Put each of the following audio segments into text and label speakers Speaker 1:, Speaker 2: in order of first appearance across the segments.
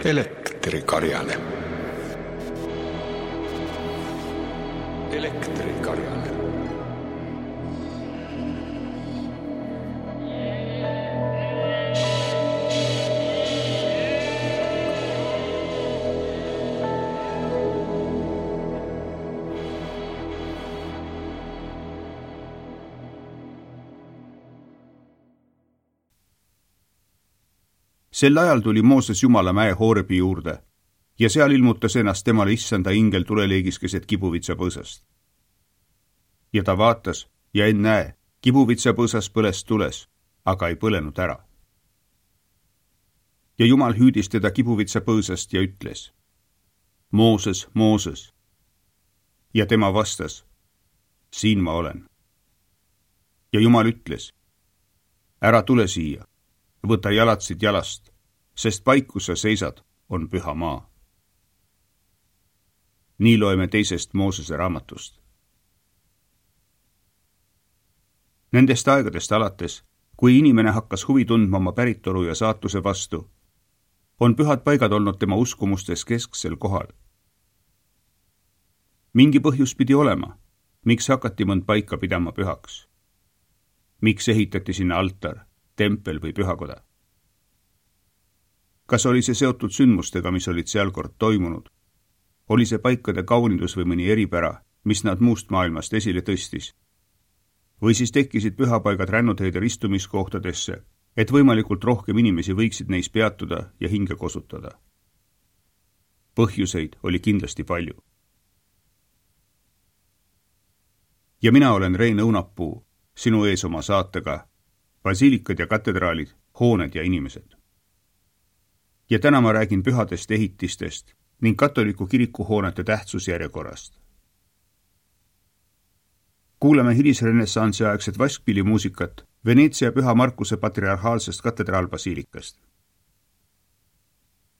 Speaker 1: Elektrikarjane. Elektrikarjane.
Speaker 2: Sel ajal tuli Mooses Jumala mäe Hoorebi juurde ja seal ilmutas ennast temale issanda ingel tuleleegis keset kibuvitsapõõsast. Ja ta vaatas ja ennäe, kibuvitsapõõsas põles tules, aga ei põlenud ära. Ja Jumal hüüdis teda kibuvitsapõõsast ja ütles: Mooses, Mooses. Ja tema vastas: siin ma olen. Ja Jumal ütles: ära tule siia, võta jalatsid jalast, sest paik, kus sa seisad, on püha maa. Nii loeme 2. Moosese raamatust. Nendest aegadest alates, kui inimene hakkas huvi tundma oma päritolu ja saatuse vastu, on pühad paigad olnud tema uskumustes kesksel kohal. Mingi põhjus pidi olema, miks hakati mõnd paika pidama pühaks. Miks ehitati sinna altar, tempel või pühakoda? Kas oli see seotud sündmustega, mis olid seal kord toimunud? Oli see paikade kaunidus või mõni eripära, mis nad muust maailmast esile tõstis? Või siis tekkisid pühapaigad rännuteede ristumiskohtadesse, et võimalikult rohkem inimesi võiksid neis peatuda ja hinge kosutada? Põhjuseid oli kindlasti palju. Ja mina olen Rein Õunapuu, sinu ees oma saatega basiilikad ja katedraalid, hooned ja inimesed. Ja täna ma räägin pühadest ehitistest ning katoliku kirikuhoonete tähtsusjärjekorrast. Kuuleme hilisrenessansi aegset vaskpillimuusikat Veneetsia Püha Markuse patriarhaalsest katedraalbasiilikast.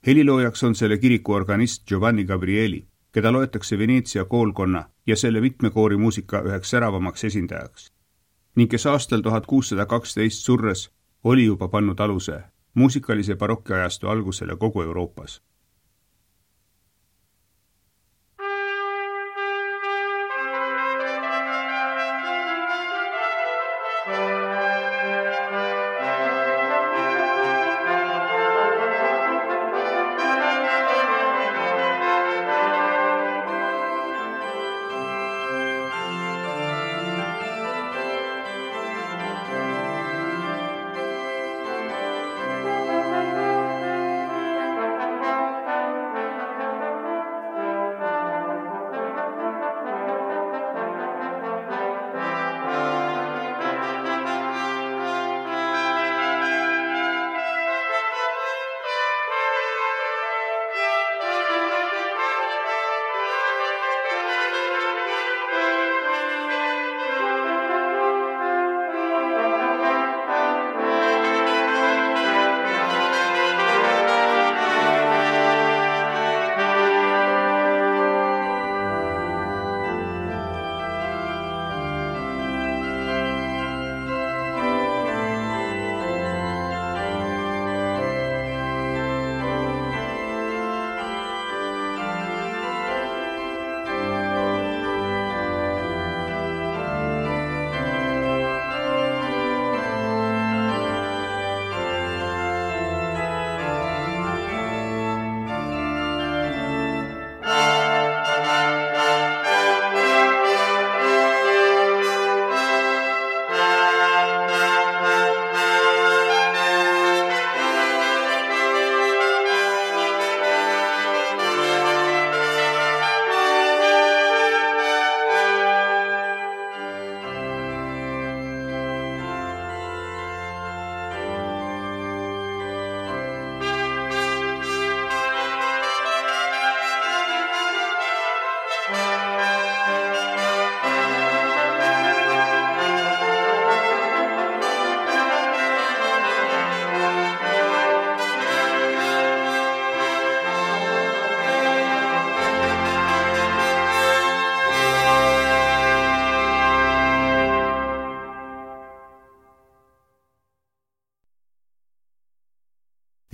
Speaker 2: Heliloojaks on selle kiriku organist Giovanni Gabrieli, keda loetakse Veneetsia koolkonna ja selle mitmekoorimuusika üheks säravamaks esindajaks, ning kes aastal 1612 surres oli juba pannud aluse muusikalise barokkiajastu algusele kogu Euroopas.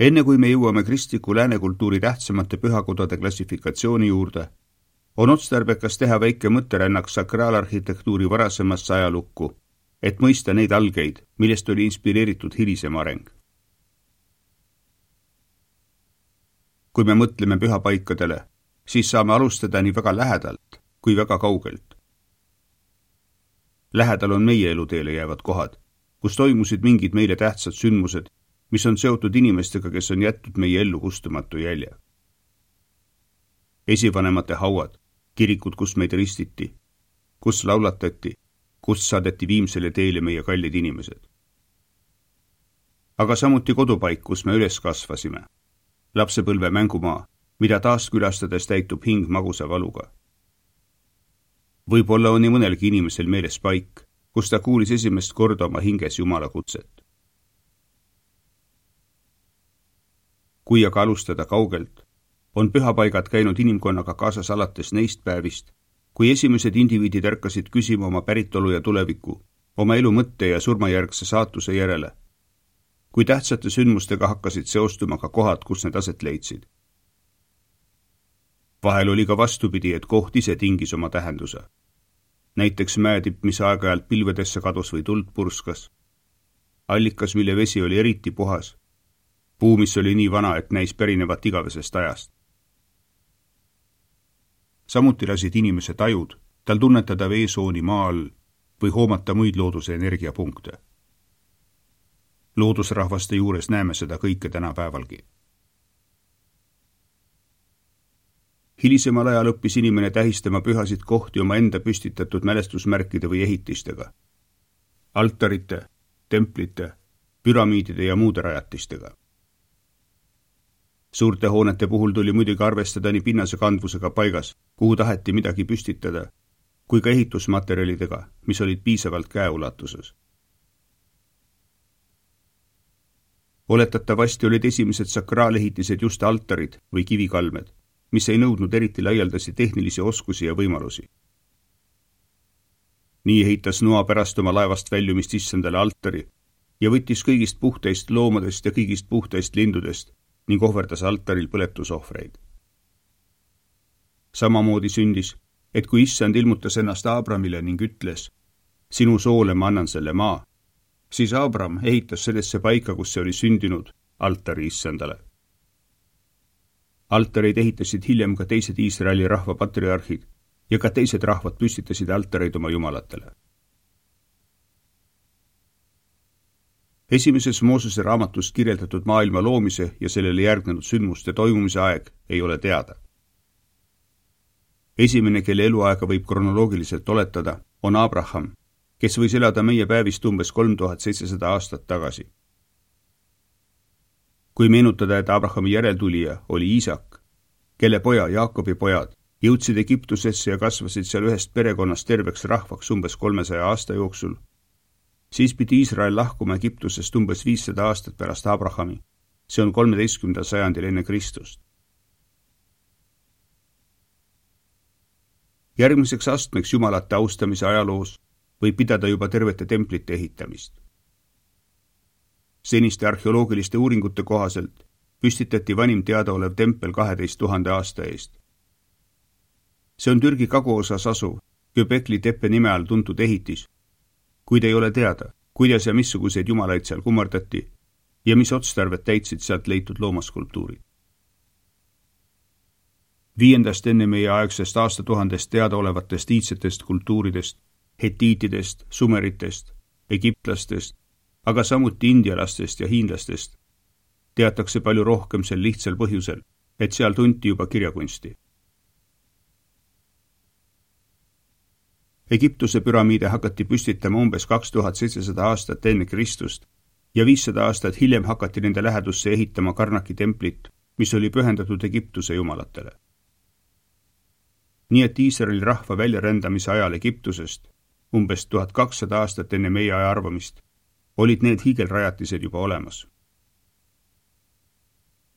Speaker 2: Enne kui me jõuame kristliku läänekultuuri tähtsamate pühakodade klassifikatsiooni juurde, on otstarbekas teha väike mõtterännak sakraalarhitektuuri varasemasse ajalukku, et mõista neid algeid, millest oli inspireeritud hilisem areng. Kui me mõtleme pühapaikadele, siis saame alustada nii väga lähedalt kui väga kaugelt. Lähedal on meie eluteele jäävad kohad, kus toimusid mingid meile tähtsad sündmused, mis on seotud inimestega, kes on jätnud meie ellu kustumatu jälje. Esivanemate hauad, kirikud, kus meid ristiti, kus laulatati, kus saadeti viimsele teele meie kallid inimesed. Aga samuti kodupaik, kus me üles kasvasime. Lapsepõlve mängumaa, mida taas külastades täitub hing magusa valuga. Võib-olla on nii mõnelgi inimesel meeles paik, kus ta kuulis esimest korda oma hinges Jumala kutset. Kui aga alustada kaugelt, on pühapaigad käinud inimkonnaga kaasas alates neist päevist, kui esimesed indiviidid ärkasid küsima oma päritolu ja tuleviku, oma elu mõtte ja surmajärgse saatuse järele, kui tähtsate sündmustega hakkasid seostuma ka kohad, kus need aset leidsid. Vahel oli ka vastupidi, et koht ise tingis oma tähenduse. Näiteks mäetipp, mis aeg-ajalt pilvedesse kadus või tuld purskas. Allikas, mille vesi oli eriti puhas. Puu, mis oli nii vana, et näis pärinevat igavesest ajast. Samuti lasid inimese tajud, tal tunnetada veesooni maa all või hoomata muid looduse energiapunkte. Loodusrahvaste juures näeme seda kõike tänapäevalgi. Hilisemal ajal õppis inimene tähistama pühasid kohti oma enda püstitatud mälestusmärkide või ehitistega. Altarite, templite, püramiidide ja muude rajatistega. Suurte hoonete puhul tuli muidugi arvestada nii pinnase kandvusega paigas, kuhu taheti midagi püstitada, kui ka ehitusmaterjalidega, mis olid piisavalt käeulatuses. Oletatavasti olid esimesed sakraalehitised just altarid või kivikalmed, mis ei nõudnud eriti laialdasi tehnilisi oskusi ja võimalusi. Nii ehitas Noa pärast oma laevast väljumist issandale altari ja võttis kõigist puhtaist loomadest ja kõigist puhtaist lindudest ning ohverdas altaril põletusohvreid. Samamoodi sündis, et kui issand ilmutas ennast Abramile ning ütles, sinu soole ma annan selle maa, siis Abram ehitas sellesse paika, kus see oli sündinud, altari issandale. Altareid ehitasid hiljem ka teised Iisraeli rahva patriarhid ja ka teised rahvad püstitasid altareid oma jumalatele. Esimeses Moosese raamatus kirjeldatud maailma loomise ja sellele järgnenud sündmuste toimumise aeg ei ole teada. Esimene, kelle eluaega võib kronoloogiliselt oletada, on Abraham, kes võis elada meie päevist umbes 3700 aastat tagasi. Kui meenutada, et Abrahami järeltulija oli Iisak, kelle poja Jaakobi pojad jõudsid Egiptusesse ja kasvasid seal ühest perekonnast terveks rahvaks umbes 300 aasta jooksul, siis pidi Iisrael lahkuma Egiptusest umbes 500 aastat pärast Abrahami. See on 13. sajandil enne Kristust. Järgmiseks astmeks jumalate austamise ajaloos võib pidada juba tervete templite ehitamist. Seniste arheoloogiliste uuringute kohaselt püstitati vanim teadaolev tempel 12 000 aasta eest. See on Türgi kaguosas asuv Göbekli teppe nime all tuntud ehitis, kuid ei ole teada, kuidas ja missuguseid jumalaid seal kummardati ja mis otstarvet täitsid sealt leitud loomaskulptuurid. 5. enne meie aegsest aastatuhandest teadaolevatest iidsetest kultuuridest, hetiitidest, sumeritest, egiptlastest, aga samuti indialastest ja hiinlastest teatakse palju rohkem sel lihtsal põhjusel, et seal tunti juba kirjakunsti. Egiptuse püramiide hakati püstitama umbes 2700 aastat enne Kristust ja 500 aastat hiljem hakati nende lähedusse ehitama Karnaki templit, mis oli pühendatud Egiptuse jumalatele. Nii et Iisraeli rahva väljarändamise ajal Egiptusest, umbes 1200 aastat enne meie aja arvamist, olid need hiigelrajatised juba olemas.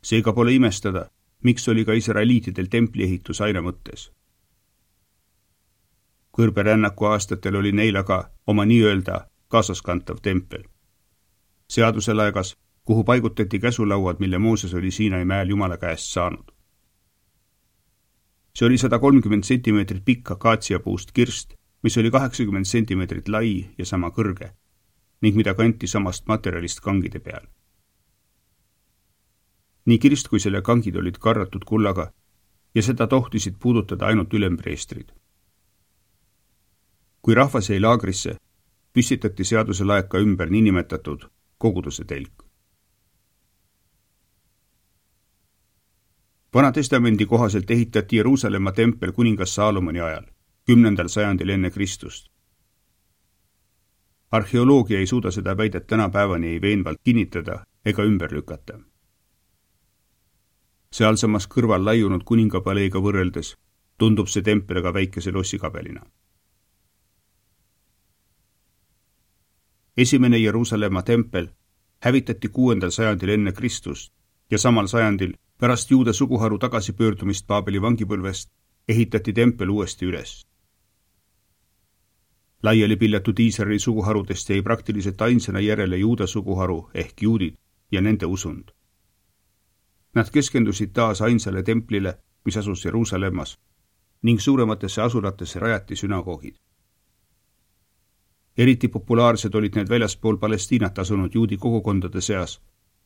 Speaker 2: Seega pole imestada, miks oli ka israeliitidel templiehitus aina mõttes. Kõrberännaku aastatel oli neil aga oma nii-öelda kaasaskantav tempel. Seaduse laegas kuhu paigutati käsulauad, mille Mooses oli Siinai mäel Jumala käest saanud. See oli 130 sentimeetrit pikk akaatsiapuust kirst, mis oli 80 sentimeetrit lai ja sama kõrge, ning mida kanti samast materjalist kangide peal. Nii kirst kui selle kangid olid karratud kullaga ja seda tohtisid puudutada ainult ülempreestrid. Kui rahvas jäi laagrisse, püstitati seaduse laeka ümber niinimetatud koguduse telk. Vana testamendi kohaselt ehitati Jeruusalemma tempel kuningas Saalomoni ajal, 10. sajandil enne Kristust. Arheoloogia ei suuda seda väidet tänapäevani ei veenvalt kinnitada ega ümber lükata. Sealsamas kõrval laiunud kuningapaleega võrreldes tundub see tempel aga väikese lossikabelina. Esimene Jeruusalemma tempel hävitati 6. sajandil enne Kristust ja samal sajandil pärast juuda suguharu tagasipöördumist Paabeli vangipõlvest ehitati tempel uuesti üles. Laiali pillatud Iisraeli suguharudest jäi praktiliselt ainsana järele juuda suguharu ehk juudid ja nende usund. Nad keskendusid taas ainsale templile, mis asus Jeruusalemmas, ning suurematesse asulatesse rajati sünagoogid. Eriti populaarsed olid need väljaspool Palestiinat asunud juudi kogukondade seas,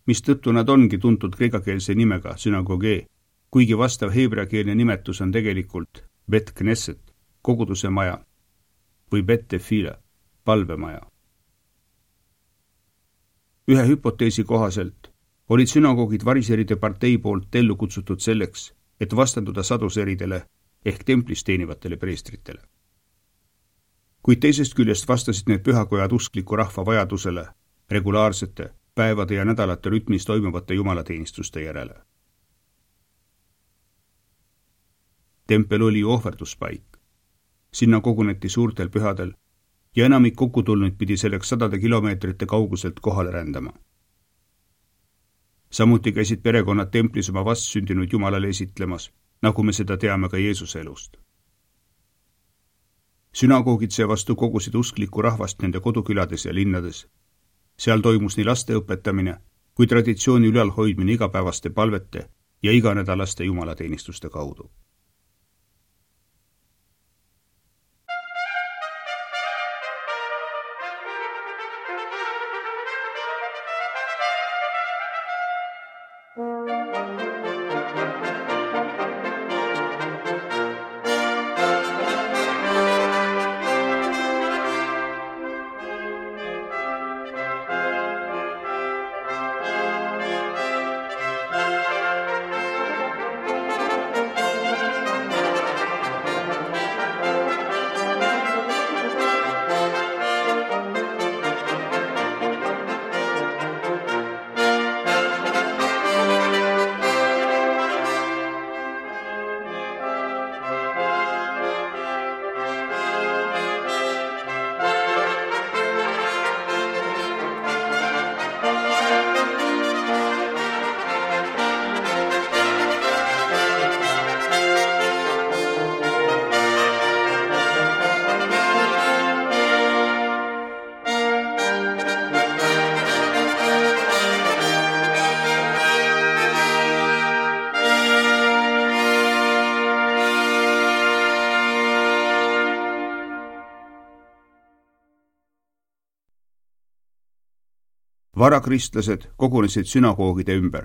Speaker 2: mistõttu nad ongi tuntud kreekakeelse nimega sünagogee, kuigi vastav heebreakeelne nimetus on tegelikult Bet Knesset, koguduse maja, või Bet Tefila, palvemaja. Ühe hüpoteesi kohaselt olid sünagoogid variseride partei poolt ellu kutsutud selleks, et vastanduda saduseridele ehk templis teenivatele preestritele. Kuid teisest küljest vastasid need pühakojad uskliku rahva vajadusele regulaarsete päevade ja nädalate rütmis toimuvate jumalateenistuste järele. Tempel oli ohverduspaik. Sinna koguneti suurtel pühadel ja enamik kokkutulnuid pidi selleks 100 kilomeetrite kauguselt kohale rändama. Samuti käisid perekonnad templis oma vastsündinud Jumalale esitlemas, nagu me seda teame ka Jeesuse elust. Sünagoogid seevastu kogusid usklikku rahvast nende kodukülades ja linnades. Seal toimus nii laste õpetamine kui traditsiooni ülalhoidmine igapäevaste palvete ja iganädalaste jumalateenistuste kaudu. Varakristlased kogunesid sünagoogide ümber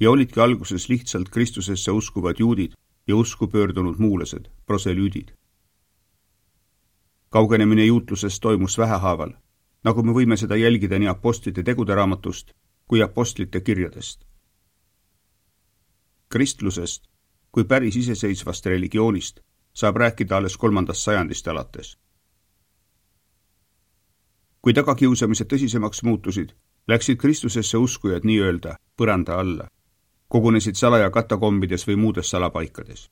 Speaker 2: ja olidki alguses lihtsalt Kristusesse uskuvad juudid ja usku pöördunud muulased, proselüüdid. Kaugenemine juutlusest toimus vähehaaval, nagu me võime seda jälgida nii apostlite tegude raamatust kui apostlite kirjadest. Kristlusest kui päris iseseisvast religioonist saab rääkida alles 3. sajandist alates. Kui tagakiusamised tõsisemaks muutusid, läksid Kristusesse uskujad nii-öelda põranda alla, kogunesid salaja katakombides või muudes salapaikades.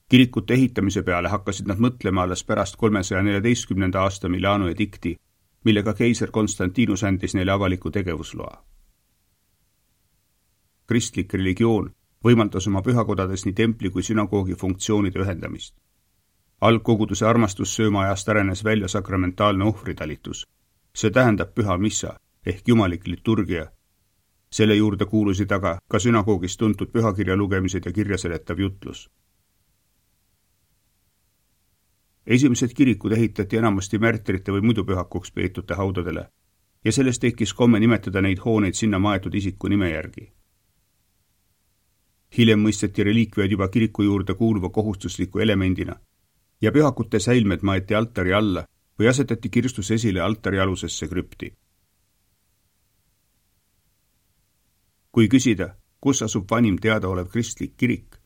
Speaker 2: Kirikute ehitamise peale hakkasid nad mõtlema alles pärast 314. aasta Milano edikti, millega keiser Konstantinus andis neile avaliku tegevusloa. Kristlik religioon võimaldas oma pühakodades nii templi kui sünagoogi funktsioonide ühendamist. Algkoguduse armastussööma ajast arenes välja sakramentaalne ohvritalitus, see tähendab püha missa ehk jumalik liturgia. Selle juurde kuulusid aga ka sünagoogis tuntud pühakirja lugemised ja kirjaseletav jutlus. Esimesed kirikud ehitati enamasti märtrite või muidu pühakuks peetute haudadele ja sellest tekkis komme nimetada neid hooneid sinna maetud isiku nime järgi. Hiljem mõisteti reliikviad juba kiriku juurde kuuluva kohustusliku elemendina ja pühakute säilmed maeti altari alla või asetati kirstus esile altari alusesse krüpti. Kui küsida, kus asub vanim teadaolev kristlik kirik,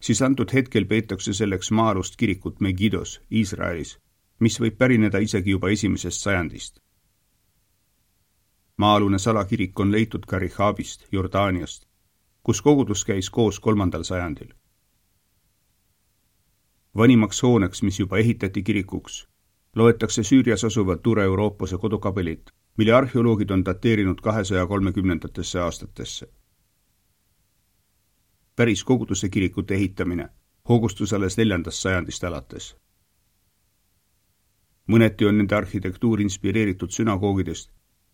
Speaker 2: siis antud hetkel peetakse selleks maa-alust kirikut Megidos, Iisraelis, mis võib pärineda isegi juba 1. sajandist. Maa-alune salakirik on leitud ka Rihabist, Jordaaniast, kus kogudus käis koos 3. sajandil. Vanimaks hooneks, mis juba ehitati kirikuks, loetakse Süürias asuva Ture-Euroopase kodukabelit, mille arheoloogid on dateerinud 230. aastatesse. Päris koguduse kirikute ehitamine hoogustus alles 4. sajandist alates. Mõneti on nende arhitektuur inspireeritud sünagoogidest,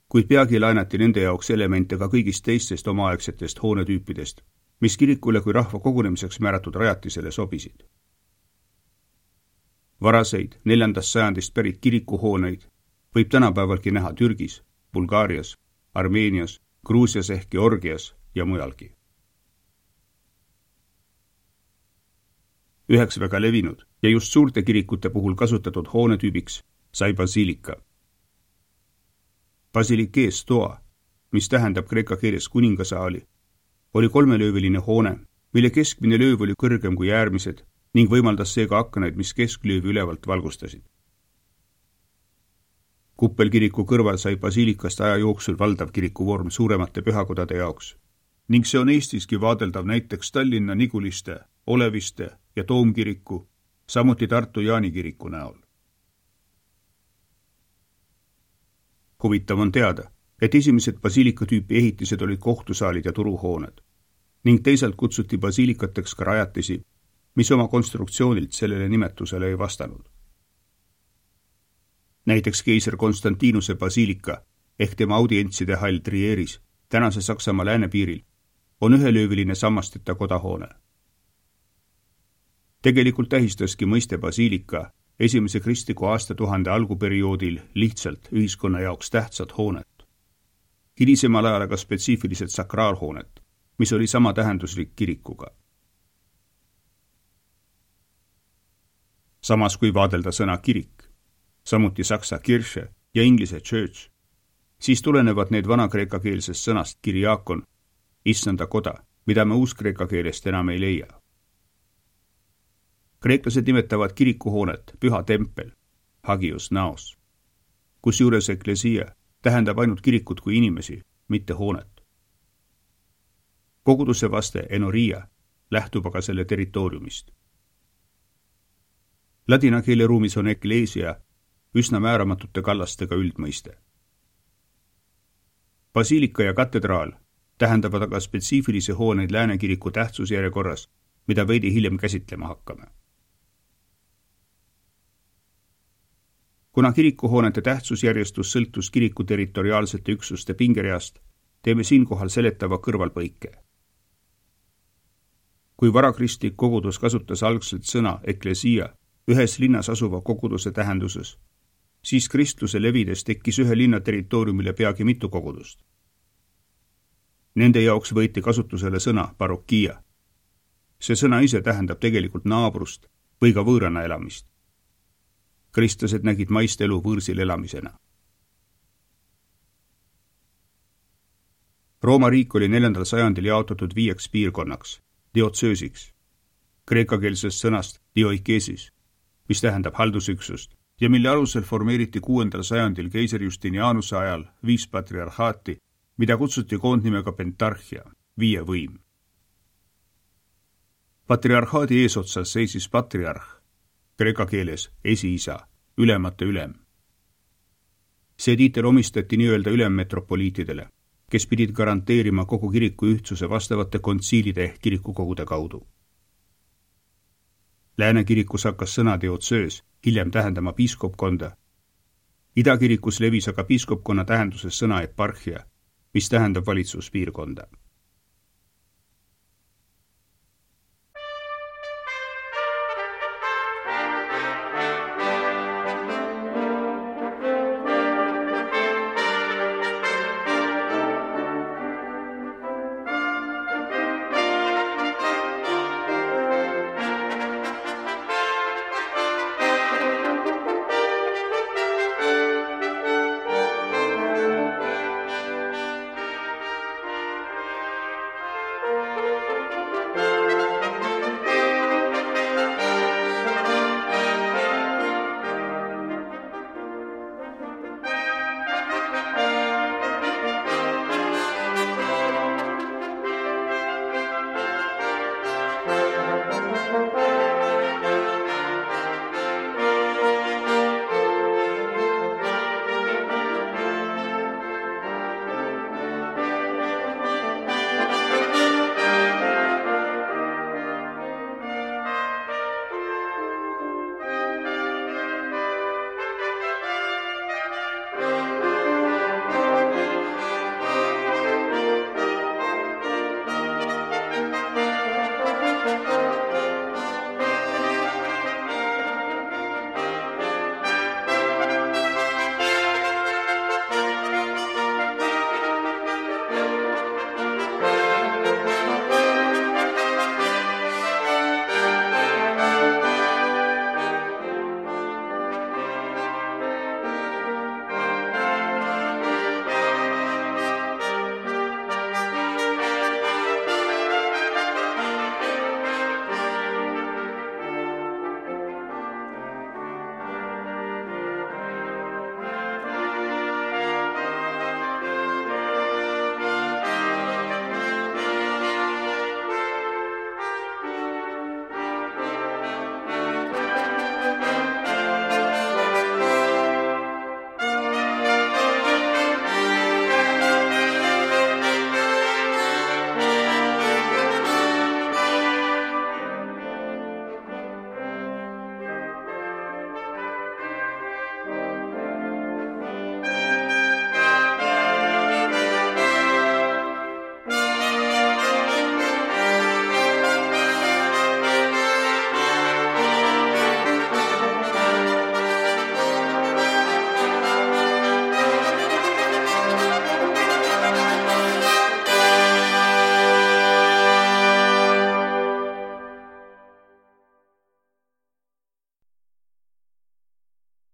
Speaker 2: kuid peagi laenati nende jaoks elemente ka kõigist teistest omaaegsetest hoonetüüpidest, mis kirikule kui rahva kogunemiseks määratud rajatisele sobisid. Varaseid 4. sajandist pärit kirikuhooneid võib tänapäevalgi näha Türgis, Bulgaarias, Armeenias, Gruusias ehk Georgias ja mujalgi. Üheks väga levinud ja just suurte kirikute puhul kasutatud hoonetüübiks sai basiilika. Basilikee stoa, mis tähendab kreeka keeles kuningasaali, oli 3-lööviline hoone, mille keskmine lööv oli kõrgem kui äärmised ning võimaldas seega aknaid, mis kesklöövi ülevalt valgustasid. Kuppelkiriku kõrval sai basiilikast aja jooksul valdav kirikuvorm suuremate pühakodade jaoks ning see on Eestiski vaadeldav näiteks Tallinna Niguliste, Oleviste ja Toomkiriku, samuti Tartu Jaani kiriku näol. Huvitav on teada, et esimesed basiilikatüüpi ehitised olid kohtusaalid ja turuhooned ning teisalt kutsuti basiilikateks ka rajatisi, mis oma konstruktsioonilt sellele nimetusele ei vastanud. Näiteks keiser Konstantinuse basiilika ehk tema audientside hall Trieris, tänase Saksamaa läänepiiril, on 1-lööviline sammasteta kodahoone. Tegelikult tähistaski mõiste basiilika esimese kristliku aastatuhande alguperioodil lihtsalt ühiskonna jaoks tähtsat hoonet. Hilisemal ajal aga spetsiifiliselt sakraalhoonet, mis oli sama tähenduslik kirikuga. Samas kui vaadelda sõna kirik, samuti saksa Kirche ja inglise church, siis tulenevad need vanakreekakeelsest sõnast kiriakon, issanda koda, mida me uuskreeka keelest enam ei leia. Kreeklased nimetavad kirikuhoonet püha tempel, hagios naos, kusjuures eklesia tähendab ainult kirikut kui inimesi, mitte hoonet. Koguduse vaste enoria lähtub aga selle territooriumist. Ladina keele ruumis on eklesia üsna määramatute kallastega üldmõiste. Basiilika ja katedraal tähendavad aga spetsiifilisi hooneid läänekiriku tähtsusjärjekorras, mida veidi hiljem käsitlema hakkame. Kuna kirikuhoonete tähtsusjärjestus sõltus kiriku territoriaalsete üksuste pingereast, teeme siinkohal seletava kõrvalpõike. Kui varakristlik kogudus kasutas algselt sõna eklesia ühes linnas asuva koguduse tähenduses, siis kristluse levides tekkis ühe linna territooriumile peagi mitu kogudust. Nende jaoks võeti kasutusele sõna parokia. See sõna ise tähendab tegelikult naabrust või ka võõrana elamist. Kristlased nägid maist elu võõrsil elamisena. Rooma riik oli 4. sajandil jaotatud 5 piirkonnaks, diotsöösiks, kreekakeelsest sõnast dioikesis, mis tähendab haldusüksust ja mille alusel formeeriti 6. sajandil keiser Justinianuse ajal 5 patriarhaati, mida kutsuti koondnimega pentarhia, 5 võim. Patriarhaadi eesotsas seisis patriarh, kreeka keeles esiisa, ülemate ülem. See tiitel omistati nii-öelda ülemmetropoliitidele, kes pidid garanteerima kogu kiriku ühtsuse vastavate kontsiilide ehk kirikukogude kaudu. Lääne kirikus hakkas sõna diotsöös hiljem tähendama piiskopkonda Idakirikus levis aga piiskopkonna tähenduses sõna eparhia, mis tähendab valitsuspiirkonda.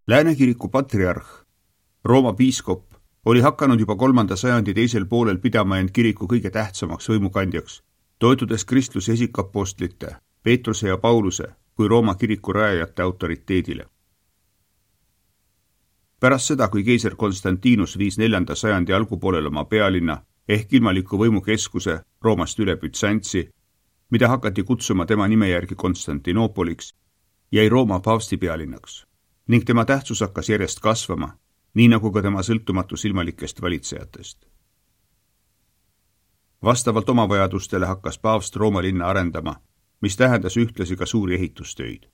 Speaker 2: Lääne kiriku patriarh, Rooma piiskop, oli hakanud juba 3. sajandi teisel poolel pidama end kiriku kõige tähtsamaks võimukandjaks, toetudes kristluse esikapostlite, Peetruse ja Pauluse kui Rooma kiriku rajajate autoriteedile. Pärast seda, kui keiser Konstantinus viis 4. sajandi algupoolel oma pealinna ehk ilmaliku võimukeskuse Roomast üle Bütsantsi, mida hakati kutsuma tema nime järgi Konstantinoopoliks, jäi Rooma paavsti pealinnaks ning tema tähtsus hakkas järjest kasvama, nii nagu ka tema sõltumatus ilmalikest valitsejatest. Vastavalt oma vajadustele hakkas paavst Rooma linna arendama, mis tähendas ühtlasi ka suuri ehitustöid.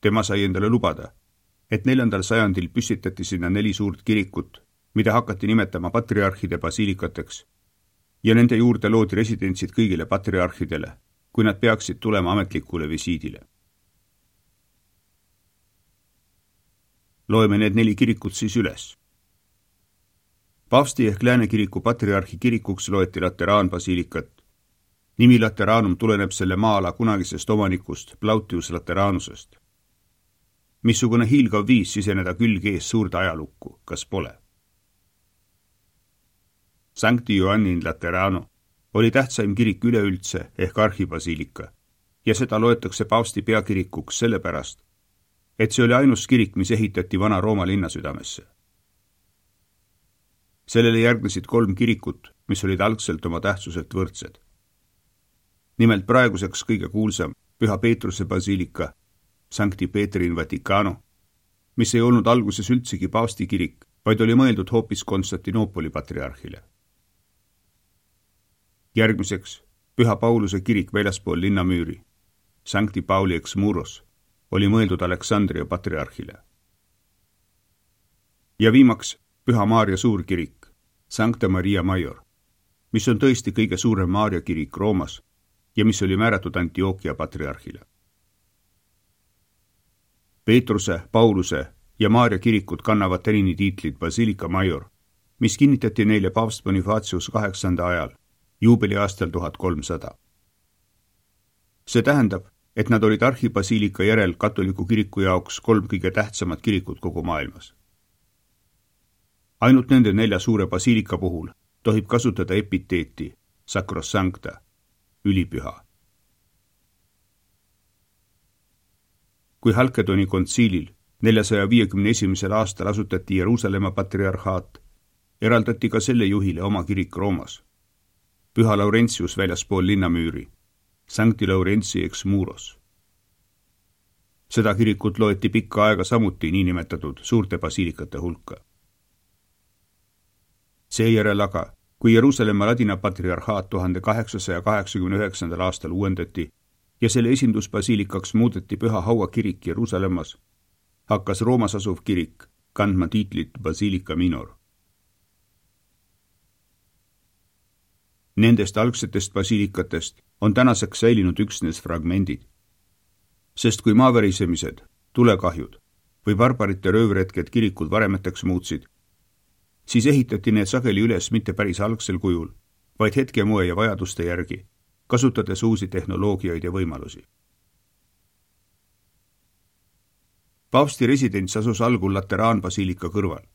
Speaker 2: Tema sai endale lubada, et 4. sajandil püstitati sinna 4 suurt kirikut, mida hakati nimetama patriarhide basiilikateks, ja nende juurde loodi residentsid kõigile patriarhidele, kui nad peaksid tulema ametlikule visiidile. Loeme need 4 kirikut siis üles. Paavsti ehk Lääne kiriku patriarhi kirikuks loeti Lateraanbasiilikat. Nimi Lateraanum tuleneb selle maa-ala kunagisest omanikust Plautius Lateranusest. Missugune hiilgav viis siseneda külg ees suurde ajalukku, kas pole? Sancti Ioannin Laterano oli tähtsaim kirik üleüldse ehk arhibasiilika ja seda loetakse paavsti peakirikuks sellepärast, et see oli ainus kirik, mis ehitati vana Rooma linna südamesse. Sellele järgnesid 3 kirikut, mis olid algselt oma tähtsuselt võrdsed. Nimelt praeguseks kõige kuulsam Püha Peetruse basiilika, Sancti Petri in Vaticano, mis ei olnud alguses üldsegi paavsti kirik, vaid oli mõeldud hoopis Konstantinoopoli patriarhile. Järgmiseks Püha Pauluse kirik väljaspool linnamüüri, Sancti Pauli ex Muros, oli mõeldud Aleksandria patriarhile. ja viimaks Püha Maarja suurkirik, Sancta Maria Major, mis on tõesti kõige suurem Maarja kirik Roomas ja mis oli määratud Antioquia patriarhile. Peetruse, Pauluse ja Maarja kirikud kannavad senini tiitlit Basilica Major, mis kinnitati neile paavst Bonifacius 8. ajal, juubeliaastal 1300. See tähendab, et nad olid arhibasiilika järel katoliku kiriku jaoks 3 kõige tähtsamat kirikut kogu maailmas. Ainult nende 4 suure basiilika puhul tohib kasutada epiteeti sacrosancta, ülipüha. Kui Halkedoni kontsiilil 451. aastal asutati Jeruusalemma patriarhaat, eraldati ka selle juhile oma kirik Roomas, Püha Laurentius väljaspool linnamüüri, Sancti Laurentii ex muros. Seda kirikut loeti pikka aega samuti niinimetatud suurte basiilikate hulka. Seejärel aga, kui Jeruusalemma ladina patriarhaat 1889. aastal uuendati ja selle esindusbasiilikaks muudeti Püha Haua kirik Jeruusalemmas, hakkas Roomas asuv kirik kandma tiitlit Basilica Minor. Nendest algsetest basiilikatest on tänaseks säilinud üksnes fragmendid. Sest kui maaverisemised, tulekahjud või barbarite röövretked kirikud varemeteks muutsid, siis ehitati need sageli üles mitte päris algsel kujul, vaid hetkemoe ja vajaduste järgi, kasutades uusi tehnoloogiaid ja võimalusi. Paavsti residents asus algul Lateraanbasiilika kõrval.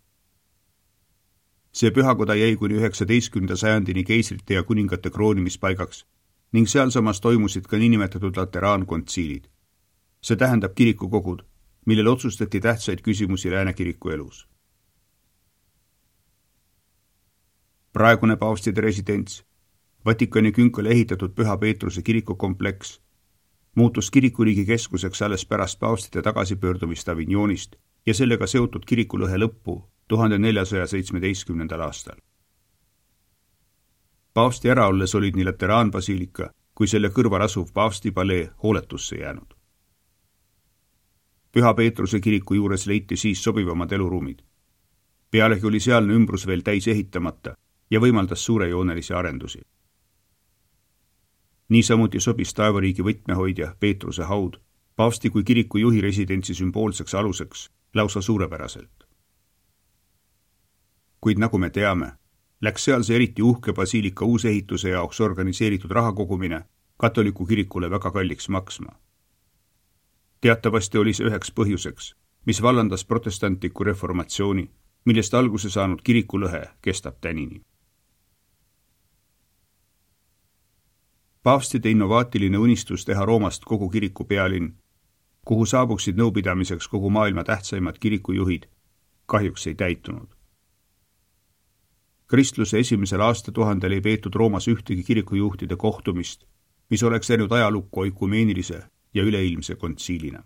Speaker 2: See pühakoda jäi kuni 19. sajandini keisrite ja kuningate kroonimispaigaks ning sealsamas toimusid ka niinimetatud Lateraankontsiilid. See tähendab kirikukogud, millel otsustati tähtsaid küsimusi Lääne kiriku elus. Praegune paavstide residents, Vatikani künkale ehitatud Püha Peetruse kirikukompleks, muutus kirikuriigi keskuseks alles pärast paavstide tagasipöördumist Avignonist ja sellega seotud kirikulõhe lõppu 1417. aastal. Paavsti ära olles olid nii Lateraanbasiilika kui selle kõrval asuv paavsti palee hooletusse jäänud. Püha Peetruse kiriku juures leiti siis sobivamad eluruumid. Pealegi oli sealne ümbrus veel täis ehitamata ja võimaldas suurejoonelisi arendusi. Niisamuti sobis taevariigi võtmehoidja Peetruse haud paavsti kui kiriku juhi residentsi sümboolseks aluseks lausa suurepäraselt. Kuid nagu me teame, läks sealse eriti uhke basiilika uusehituse jaoks organiseeritud rahakogumine katoliku kirikule väga kalliks maksma. Teatavasti oli see üheks põhjuseks, mis vallandas protestantliku reformatsiooni, millest alguse saanud kirikulõhe kestab tänini. Paavstide innovaatiline unistus teha Roomast kogu kiriku pealinn, kuhu saabuksid nõupidamiseks kogu maailma tähtsaimad kirikujuhid, kahjuks ei täitunud. Kristluse esimesel aastatuhandel ei peetud Roomas ühtegi kirikujuhtide kohtumist, mis oleks jäänud ajalukku oikumeenilise ja üleilmse kontsiilina.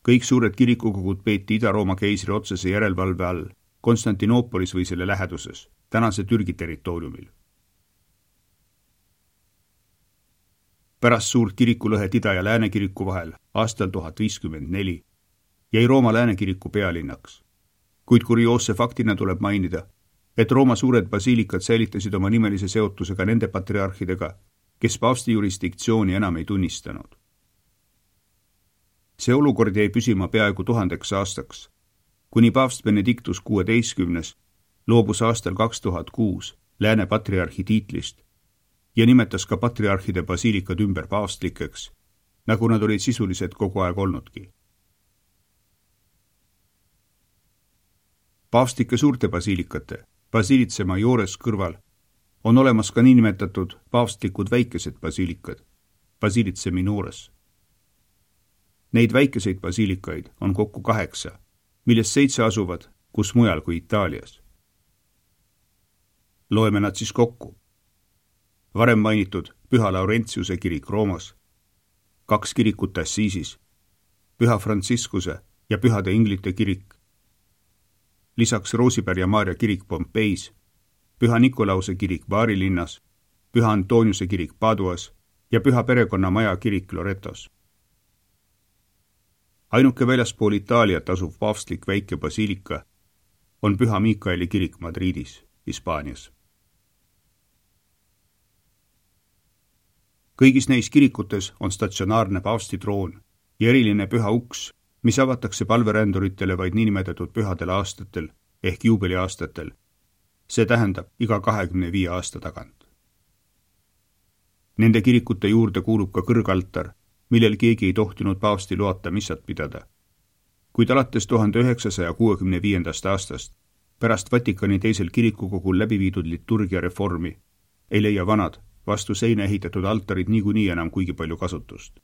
Speaker 2: Kõik suured kirikukogud peeti Ida-Rooma keisri otsese järelevalve all Konstantinoopolis või selle läheduses, tänase Türgi territooriumil. Pärast suurt kirikulõhet Ida- ja Lääne kiriku vahel aastal 1054 jäi Rooma Lääne kiriku pealinnaks. Kuid kurioosse faktina tuleb mainida, et Rooma suured basiilikad säilitasid oma nimelise seotusega nende patriarhidega, kes paavsti jurisdiktsiooni enam ei tunnistanud. See olukord jäi püsima peaaegu 1000 aastaks, kuni paavst Benedictus XVI loobus aastal 2006 Lääne patriarhi tiitlist ja nimetas ka patriarhide basiilikad ümber paavstlikeks, nagu nad olid sisuliselt kogu aeg olnudki. Paavstlike suurte basiilikate, Basilice Majores kõrval, on olemas ka niinimetatud paavstlikud väikesed basiilikad, Basilice Minores. Neid väikeseid basiilikaid on kokku 8, millest 7 asuvad kus mujal kui Itaalias. Loeme nad siis kokku. Varem mainitud Püha Laurentiuse kirik Roomas, 2 kirikut Assiisis, Püha Franciscuse ja Pühade Inglite kirik, lisaks Roosipär ja Maarja kirik Pompeis, Püha Nikolause kirik Bari linnas, Püha Antoniuse kirik Paduas ja Püha Perekonna Maja kirik Loretos. ainuke väljaspool Itaaliat asuv paavstlik väike basiilika on Püha Miikaeli kirik Madridis, Hispaanias. Kõigis neis kirikutes on statsionaarne paavstitroon ja eriline püha uks, mis avatakse palveränduritele vaid niinimetatud pühadel aastatel ehk juubeliaastatel. See tähendab iga 25 aasta tagant. Nende kirikute juurde kuulub ka kõrgaltar, millel keegi ei tohtinud paavsti loata missat pidada. Kuid alates 1965. aastast, pärast Vatikani teisel kirikukogul läbi viidud liturgia reformi, ei leia vanad, vastu seina ehitatud altarid niikuinii enam kuigi palju kasutust.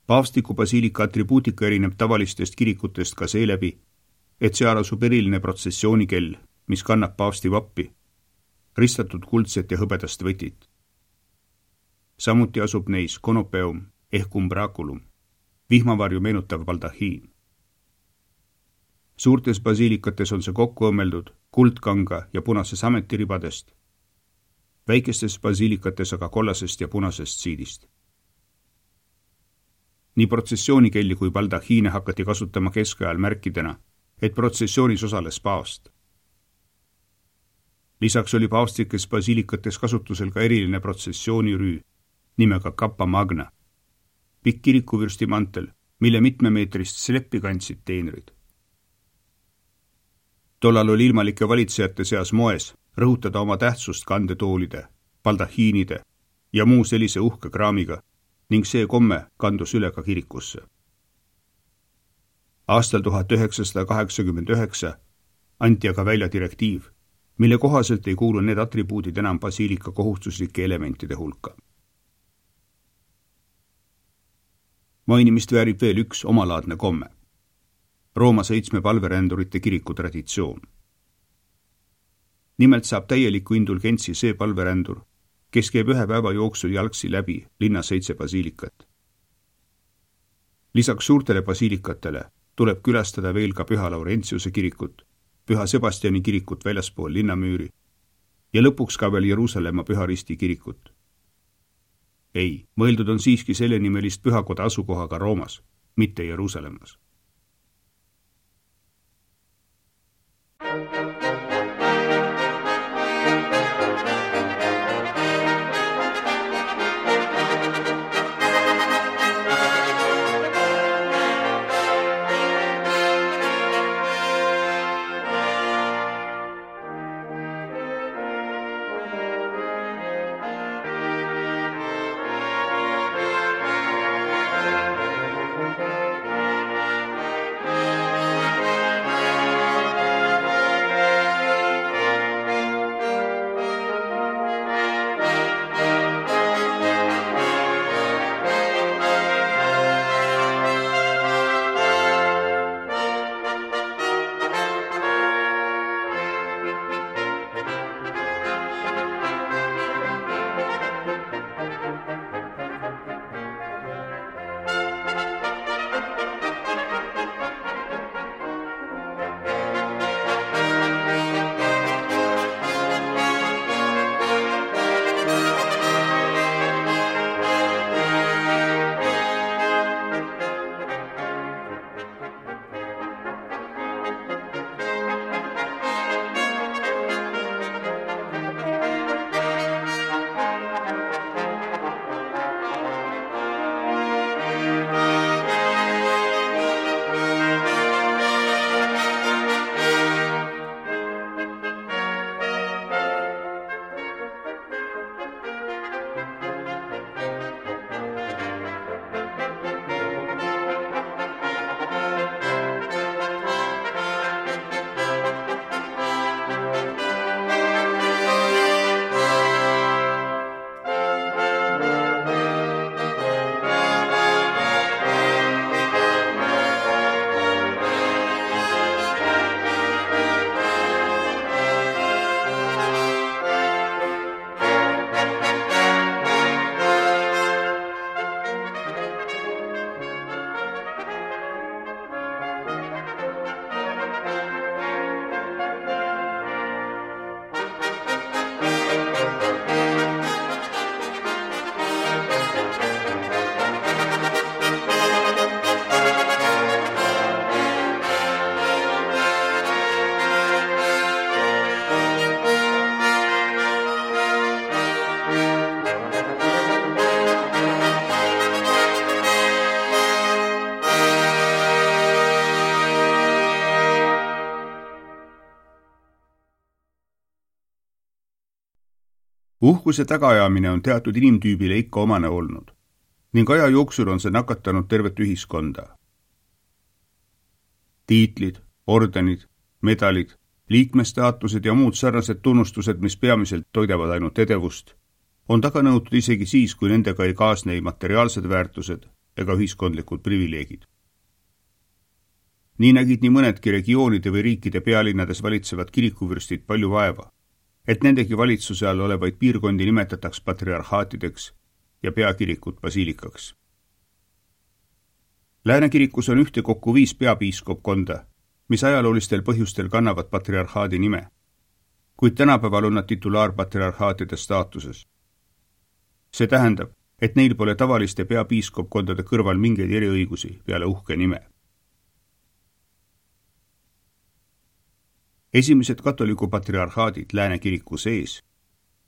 Speaker 2: Paavstiku basiilika atribuutika erineb tavalistest kirikutest ka seeläbi, et seal asub eriline protsessioonikell, mis kannab paavsti vappi, ristatud kuldset ja hõbedast võtit. Samuti asub neis konopeum ehk umbraculum, vihmavarju meenutav baldahiin. Suurtes basiilikates on see kokku õmmeldud kuldkanga ja punase sametiribadest, väikestes basiilikates aga kollasest ja punasest siidist. Nii protsessioonikelli kui baldahiine hakati kasutama keskajal märkidena, et protsessioonis osales paavst. Lisaks oli paavstikes basiilikates kasutusel ka eriline protsessioonirüü nimega Kappa Magna, pikk kirikuvürsti mantel, mille mitmemeetrist sleppi kandsid teenrid. Tollal oli ilmalike valitsejate seas moes rõhutada oma tähtsust kandetoolide, baldahiinide ja muu sellise uhke kraamiga ning see komme kandus üle ka kirikusse. Aastal 1989 anti aga välja direktiiv, mille kohaselt ei kuulu need atribuudid enam basiilika kohustuslike elementide hulka. Mainimist väärib veel üks omalaadne komme. Rooma 7 palverändurite kiriku traditsioon. Nimelt saab täieliku indulgentsi see palverändur, kes käib ühe päeva jooksul jalgsi läbi linna 7 basiilikat. Lisaks suurtele basiilikatele tuleb külastada veel ka Püha Laurentiuse kirikut, Püha Sebastiani kirikut väljaspool linnamüüri ja lõpuks ka veel Jeruusalemma Püha Risti kirikut. Ei, mõeldud on siiski selle nimelist pühakoda asukohaga Roomas, mitte Jeruusalemmas. Uhkuse tagaajamine on teatud inimtüübile ikka omane olnud ning aja jooksul on see nakatanud tervet ühiskonda. Tiitlid, ordenid, medalid, liikmestaatused ja muud sarnased tunnustused, mis peamiselt toidavad ainult edevust, on taga nõutud isegi siis, kui nendega ei kaasne ei materiaalsed väärtused ega ühiskondlikud privileegid. Nii nägid nii mõnedki regioonide või riikide pealinnades valitsevad kirikuvürstid palju vaeva, et nendegi valitsuse all olevaid piirkondi nimetataks patriarhaatideks ja peakirikut basiilikaks. Läänekirikus on ühtekokku 5 peapiiskopkonda, mis ajaloolistel põhjustel kannavad patriarhaadi nime, kuid tänapäeval on nad titulaarpatriarhaatide staatuses. See tähendab, et neil pole tavaliste peapiiskopkondade kõrval mingeid eriõigusi peale uhke nime. Esimesed katoliku patriarhaadid Läänekiriku sees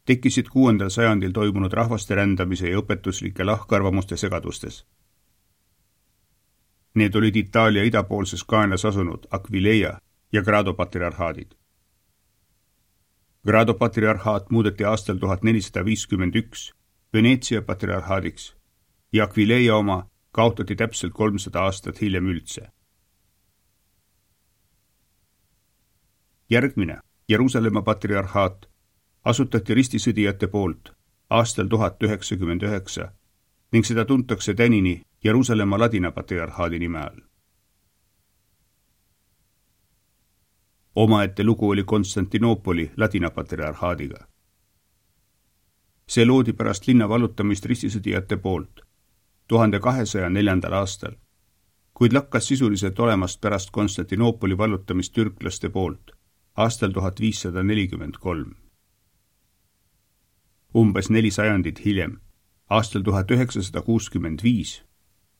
Speaker 2: tekkisid 6. sajandil toimunud rahvaste rändamise ja õpetuslike lahkarvamuste segadustes. Need olid Itaalia idapoolses kaenas asunud Aquileia ja Grado patriarhaadid. Grado patriarhaat muudeti aastal 1451 Veneetsia patriarhaadiks ja Aquileia oma kaotati täpselt 300 aastat hiljem üldse. Järgmine, Jeruusalemma patriarhaat, asutati ristisõdijate poolt aastal 1099 ning seda tuntakse tänini Jeruusalemma ladina patriarhaadi nime all. Omaette lugu oli Konstantinoopoli ladina patriarhaadiga. See loodi pärast linna vallutamist ristisõdijate poolt 1204. aastal, kuid lakkas sisuliselt olemast pärast Konstantinoopoli vallutamist türklaste poolt aastal 1543. Umbes 4 sajandit hiljem, aastal 1965,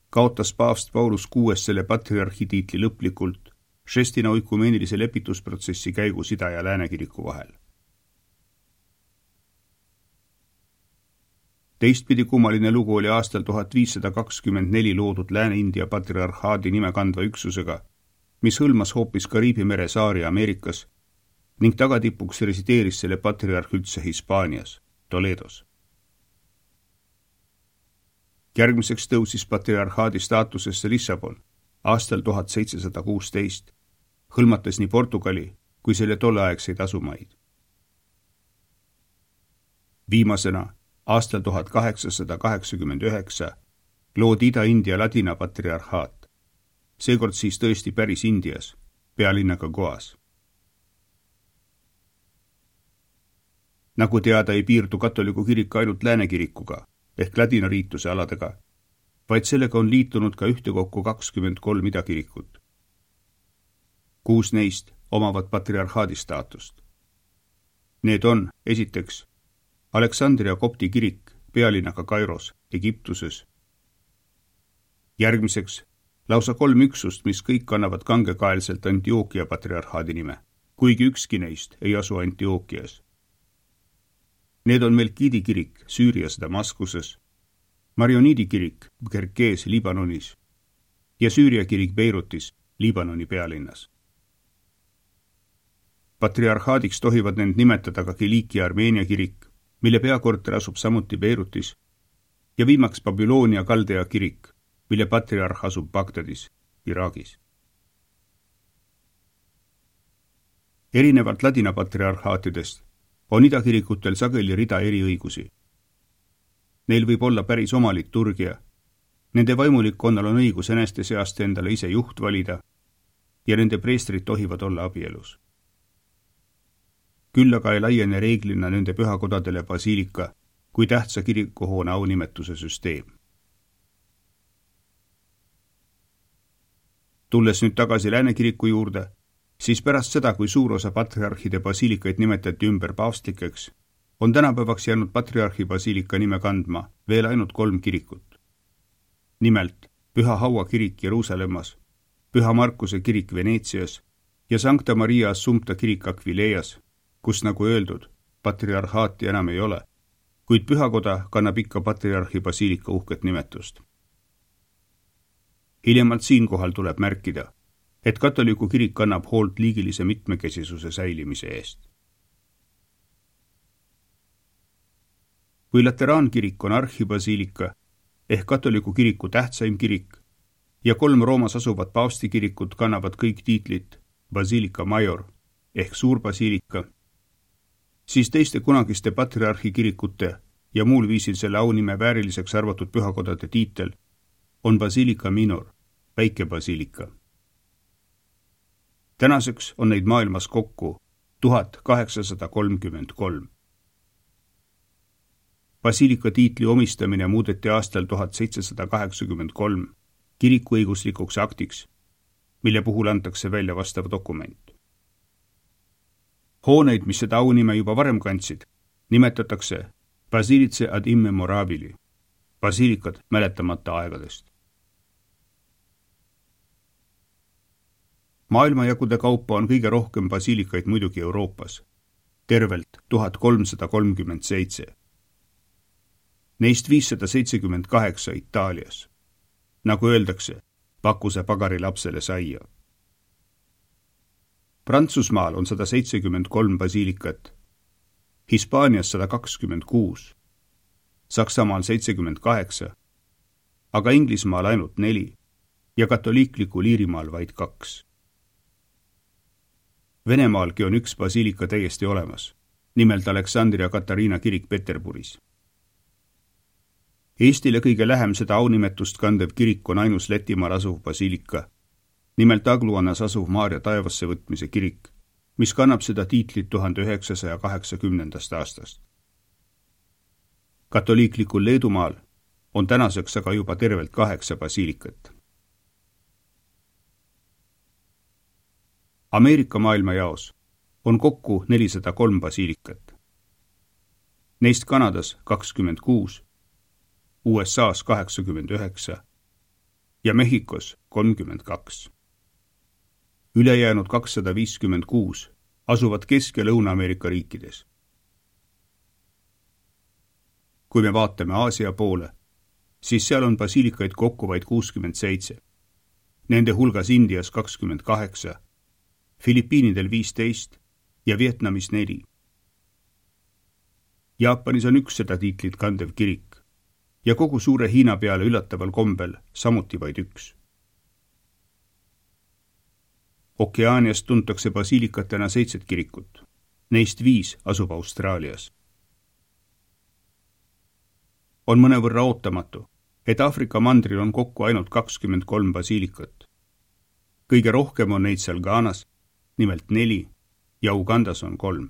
Speaker 2: kaotas paavst Paulus VI selle patriarhi tiitli lõplikult Šestina oikumeenilise lepitusprotsessi käigus Ida- ja Läänekiriku vahel. Teistpidi kummaline lugu oli aastal 1524 loodud Lääne-India patriarhaadi nime kandva üksusega, mis hõlmas hoopis Kariibi mere saari Ameerikas ning tagatipuks resideeris selle patriarh üldse Hispaanias, Toledos. Järgmiseks tõusis patriarhaadi staatusesse Lissabon aastal 1716, hõlmates nii Portugali kui selle tolleaegseid asumaid. Viimasena aastal 1889 loodi Ida-India ladina patriarhaat, seekord siis tõesti päris Indias, pealinnaga Goas. Nagu teada ei piirdu katoliku kirik ainult Läänekirikuga ehk ladinariituse aladega, vaid sellega on liitunud ka ühtekokku 23 idakirikut. 6 neist omavad patriarhaadi staatust. Need on, esiteks, Aleksandria kopti kirik pealinnaga Kairos, Egiptuses. Järgmiseks, lausa 3 üksust, mis kõik kannavad kangekaelselt Antioquia patriarhaadi nime, kuigi ükski neist ei asu Antioquias. Need on Melkidi kirik Süürias Damaskuses, Marioniidi kirik Kerkees Liibanonis ja Süüria kirik Beirutis Liibanoni pealinnas. Patriarhaadiks tohivad need nimetada ka Kilikia Armeenia kirik, mille peakorter asub samuti Beirutis, ja viimaks Babyloonia Kaldea kirik, mille patriarh asub Bagdadis, Iraagis. Erinevalt ladina patriarhaatidest on idakirikutel sageli rida eriõigusi. Neil võib olla päris oma liturgia, nende vaimulikkonnal on õigus eneste seast endale ise juht valida ja nende preestrid tohivad olla abielus. Küll aga ei laiene reeglina nende pühakodadele basiilika kui tähtsa kirikuhoone aunimetuse süsteem. Tulles nüüd tagasi Läänekiriku juurde, siis pärast seda, kui suur osa patriarhide basiilikaid nimetati ümber paavstlikeks, on tänapäevaks jäänud patriarhi basiilika nime kandma veel ainult 3 kirikut. Nimelt Püha Haua kirik Jeruusalemmas, Püha Markuse kirik Veneetsias ja Sancta Maria Assumpta kirik Aquileias, kus nagu öeldud, patriarhaati enam ei ole, kuid pühakoda kannab ikka patriarhi basiilika uhket nimetust. Hiljemalt siinkohal tuleb märkida, et katoliku kirik kannab hoolt liigilise mitmekesisuse säilimise eest. kui Lateraan-kirik on arhibasiilika ehk katoliku kiriku tähtsaim kirik ja 3 Roomas asuvat paavstikirikut kannavad kõik tiitlit Basilica Major ehk suurbasiilika, siis teiste kunagiste patriarhi kirikute ja muul viisil selle aunime vääriliseks arvatud pühakodade tiitel on Basilica Minor, väike basiilika. Tänaseks on neid maailmas kokku 1833. Basiilika tiitli omistamine muudeti aastal 1783 kirikuõiguslikuks aktiks, mille puhul antakse välja vastav dokument. Hooneid, mis seda aunime juba varem kandsid, nimetatakse Basilice ad immemorabili, basiilikad mäletamata aegadest. Maailmajagude kaupa on kõige rohkem basiilikaid muidugi Euroopas, tervelt 1337. Neist 578 Itaalias. Nagu öeldakse, pakuse pagari lapsele saia. Prantsusmaal on 173 basiilikat, Hispaanias 126, Saksamaal 78, aga Inglismaal ainult 4 ja katoliiklikul Iirimaal vaid 2. Venemaalgi on üks basiilika täiesti olemas, nimelt Aleksandria Katariina kirik Peterburis. Eestile kõige lähem seda aunimetust kandev kirik on ainus Lätimaal asuv basiilika, nimelt Agluanas asuv Maarja taevasse võtmise kirik, mis kannab seda tiitlit 1980. aastast. Katoliiklikul Leedumaal on tänaseks aga juba tervelt 8 basiilikat. Ameerika maailmajaos on kokku 403 basiilikat. Neist Kanadas 26, USAs 89 ja Mehhikos 32. Ülejäänud 256 asuvad Kesk- ja Lõuna-Ameerika riikides. Kui me vaatame Aasia poole, siis seal on basiilikaid kokku vaid 67. Nende hulgas Indias 28, Filipiinidel 15 ja Vietnamis 4. Jaapanis on üks seda tiitlit kandev kirik ja kogu suure Hiina peale üllataval kombel samuti vaid üks. Okeaanias tuntakse basiilikatena 7 kirikut, neist 5 asub Austraalias. On mõnevõrra ootamatu, et Aafrika mandril on kokku ainult 23 basiilikat. Kõige rohkem on neid seal Ghanas, nimelt 4, ja Ugandas on 3.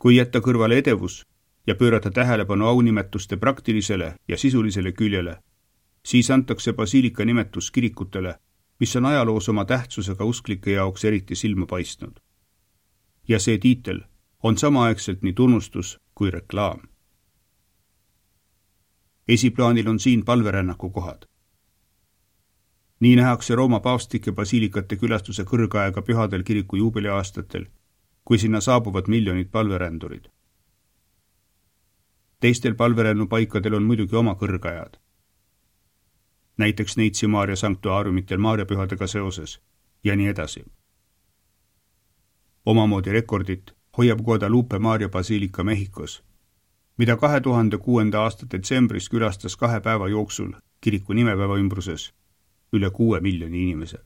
Speaker 2: Kui jätta kõrvale edevus ja pöörata tähelepanu aunimetuste praktilisele ja sisulisele küljele, siis antakse basiilika nimetus kirikutele, mis on ajaloos oma tähtsusega usklike jaoks eriti silma paistnud. Ja see tiitel on samaaegselt nii tunnustus kui reklaam. Esiplaanil on siin palverännaku kohad. Nii nähakse Rooma paavstike basiilikate külastuse kõrgaega pühadel kiriku juubeliaastatel, kui sinna saabuvad miljonid palverändurid. Teistel palverännupaikadel on muidugi oma kõrgajad. Näiteks Neitsi Maarja sanktuaariumitel Maarjapühadega seoses ja nii edasi. Omamoodi rekordit hoiab Guadalupe Maarja basiilika Mehhikos, mida 2006. aasta detsembris külastas 2 päeva jooksul kiriku nimepäeva ümbruses üle 6 miljoni inimese.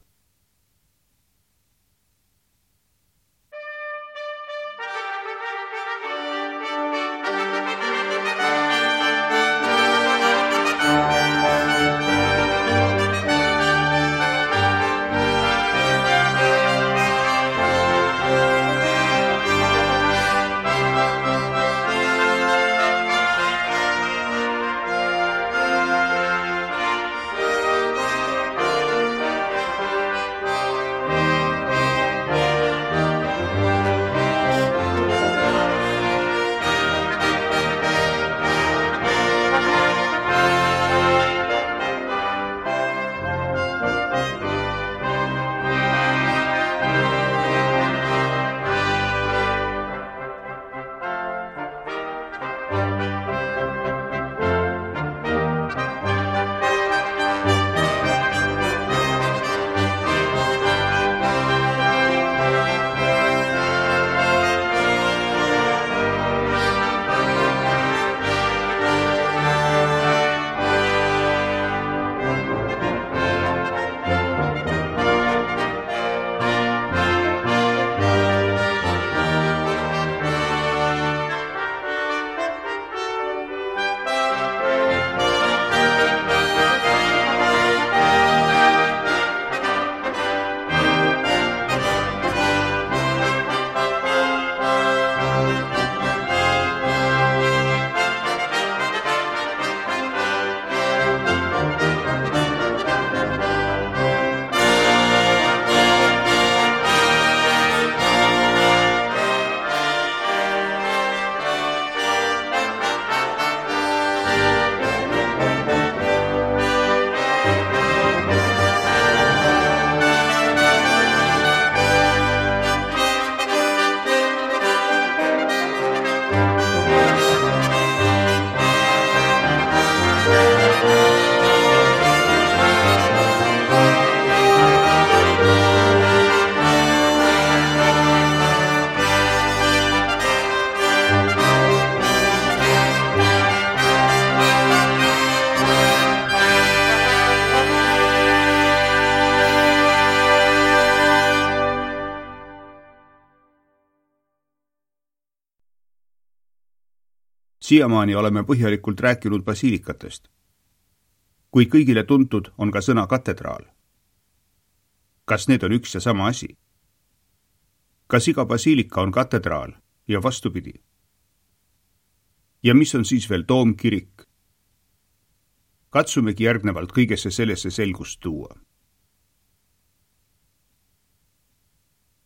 Speaker 2: Siiamaani oleme põhjalikult rääkinud basiilikatest, kuid kõigile tuntud on ka sõna katedraal. Kas need on üks ja sama asi? Kas iga basiilika on katedraal ja vastupidi? Ja mis on siis veel toomkirik? Katsumegi järgnevalt kõigesse sellesse selgust tuua.